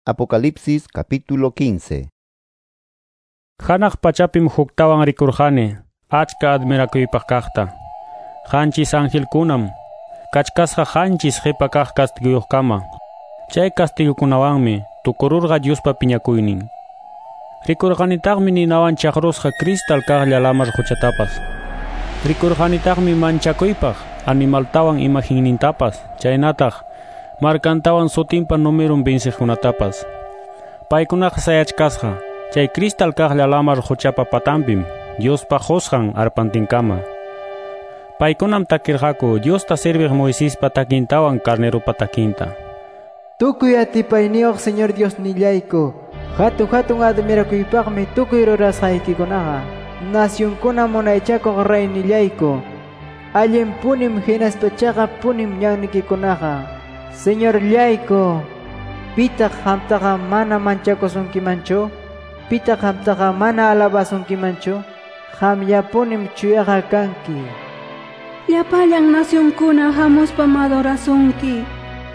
Apocalipsis capítulo 15. Hanaq pachapim huktawan rikurqani, achka admirakuypaq kaqta. Qanchis angelkunam, kachkasqa qanchis qipa kaq castiguyuqkama. Chay castigukunawanmi tukururqa Diospa piñakuynin. Rikurqanitaqmi ninawan chaqrusqa cristal kaqlla lamar quchatapas. Rikurqanitaqmi manchakuypaq animaltawan imaginnintapas, chaynataq markantawan sutinpa numerun venciqkunatapas. Paykunaqa sayachkasqa chay cristal kaqlla lamar quchapa patanpim, Diospa qusqan arpantinkama. Paykunam takirqaku Diosta serviq Moisespa takintawan carneropa takinta. Tukuy atipayniyuq Señor Dios nillayku, hatun hatun admirakuypaqmi tukuy rurasqaykikunaqa. Nacionkuna munaychakuq reynillayku, allin punim hinaspa chaqap punim ñannikikunaqa. Señorllayku, pitaq qamtaqa mana manchakusunkimanchu? Pitaq qamtaqa mana alabasunkimanchu? Qamllapunim chuyaqa kanki. Llapallan nacionkuna hamuspam adorasunki.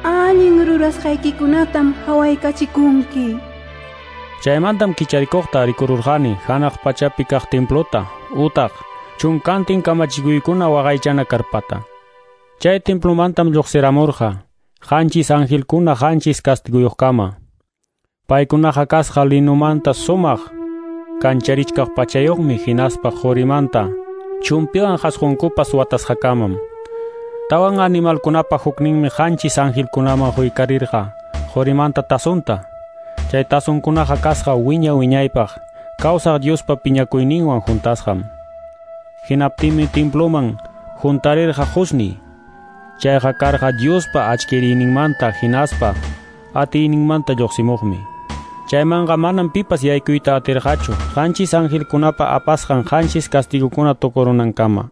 Allin rurasqaykikunatam hawaykachikunki. Chaymantam kicharikuqta rikururqani hanaq pachapi kaq templota, utaq chunkantin kamachikuykuna waqaychana karpata. Chay templomantam lluqsiramurqa qanchis angelkuna qanchis castiguyuqkama. Paykunaqa kasqa linumanta sumaq kancharichkaq pachayuqmi hinaspa qurimanta chumpiwan qasqunkupas watasqakamam. Tawan animalkunapa hukninmi qanchis angelkunaman huykarirqa qurimanta tasunta. Chay tasunkunaqa kasqa wiña wiñaypaq kawsaq Diospa piñakuyninwan juntasqam. Hinaptinmi temploman juntarirqa qusni. Chayqa karqa Diospa achkiriyninmanta hinaspa atiyninmanta lluqsimuqmi. Chaymanqa manam pipas yaykuyta atirqachu qanchis angelkunapa apasqan qanchis castigukuna tukurunankama.